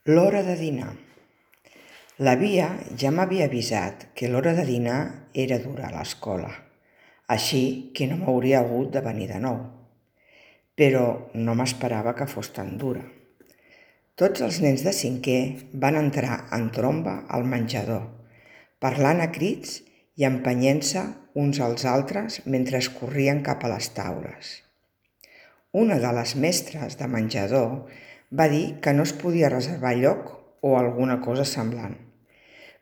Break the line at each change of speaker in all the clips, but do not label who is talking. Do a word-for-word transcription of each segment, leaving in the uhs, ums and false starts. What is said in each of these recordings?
L'hora de dinar. L'Avia ja m'havia avisat que l'hora de dinar era dura a l'escola, així que no m'hauria hagut de venir de nou. Però no m'esperava que fos tan dura. Tots els nens de cinquè van entrar en tromba al menjador, parlant a crits i empenyent-se uns als altres mentre corrien cap a les taules. Una de les mestres de menjador va dir que no es podia reservar lloc o alguna cosa semblant,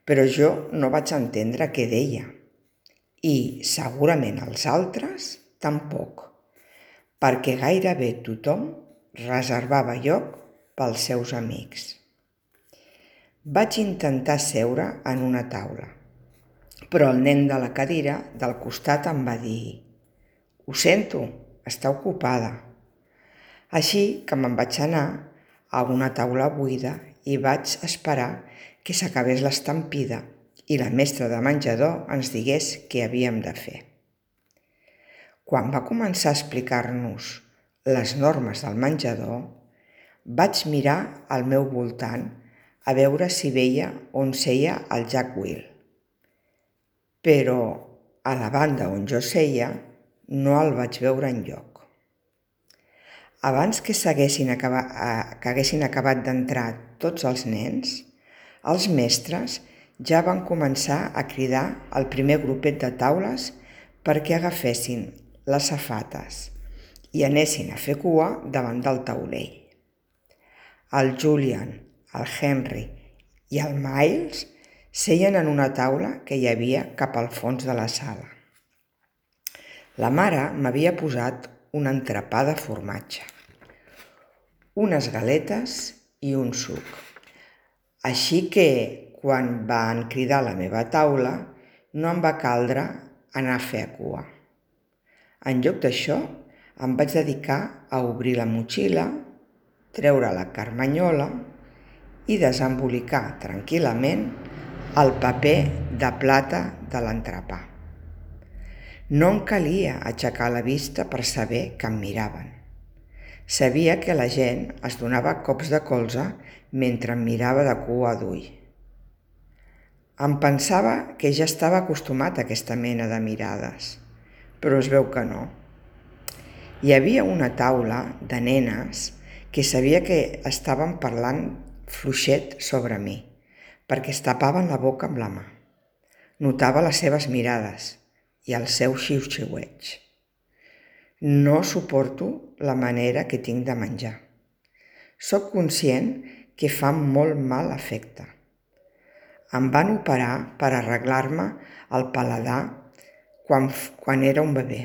però jo no vaig entendre què deia, i segurament els altres tampoc, perquè gairebé tothom reservava lloc pels seus amics. Vaig intentar seure en una taula, però el nen de la cadira del costat em va dir: «Ho sento, està ocupada». Així que me'n vaig anar a una taula buida i vaig esperar que s'acabés l'estampida i la mestra de menjador ens digués què havíem de fer. Quan va començar a explicar-nos les normes del menjador, vaig mirar al meu voltant a veure si veia on seia el Jack Will. Però a la banda on jo seia no el vaig veure enlloc. Abans que, acabat, que haguessin acabat d'entrar tots els nens, els mestres ja van començar a cridar al primer grupet de taules perquè agafessin les safates i anessin a fer cua davant del taulell. El Julian, el Henry i el Miles seien en una taula que hi havia cap al fons de la sala. La mare m'havia posat un entrepà de formatge, unes galetes i un suc. Així que, quan van cridar a la meva taula, no em va caldre anar a fer cua. En lloc d'això, em vaig dedicar a obrir la motxilla, treure la carmanyola i desembolicar tranquil·lament el paper de plata de l'entrepà. No em calia aixecar la vista per saber que em miraven. Sabia que la gent es donava cops de colze mentre em mirava de cua d'ull. Em pensava que ja estava acostumat a aquesta mena de mirades, però es veu que no. Hi havia una taula de nenes que sabia que estaven parlant fluixet sobre mi, perquè es tapaven la boca amb la mà. Notava les seves mirades i el seu xiu-xiueig. No suporto la manera que tinc de menjar. Soc conscient que fa molt mal efecte. Em van operar per arreglar-me el paladar quan, quan era un bebè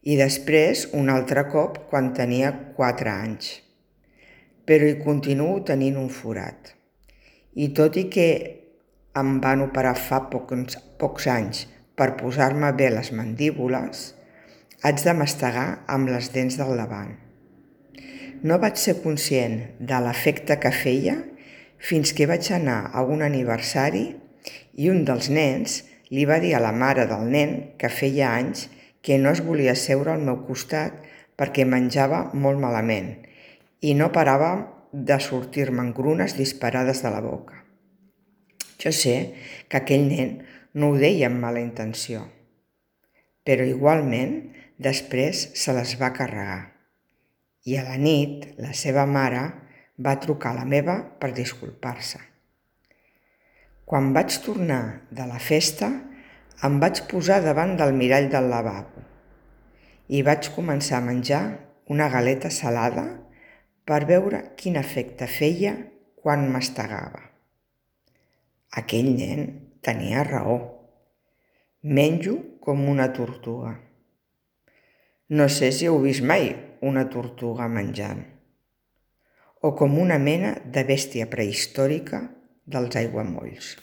i després un altre cop quan tenia quatre anys. Però hi continuo tenint un forat. I tot i que em van operar fa pocs, pocs anys per posar-me bé les mandíbules, haig de mastegar amb les dents del davant. No vaig ser conscient de l'efecte que feia fins que vaig anar a un aniversari i un dels nens li va dir a la mare del nen que feia anys que no es volia seure al meu costat perquè menjava molt malament i no parava de sortir-me engrunes disparades de la boca. Jo sé que aquell nen no ho deia amb mala intenció, però igualment després se les va carregar. I a la nit la seva mare va trucar a la meva per disculpar-se. Quan vaig tornar de la festa, em vaig posar davant del mirall del lavabo i vaig començar a menjar una galeta salada per veure quin efecte feia quan mastegava. Aquell nen tenia raó. Menjo com una tortuga. No sé si heu vist mai una tortuga menjant, o com una mena de bèstia prehistòrica dels aiguamolls.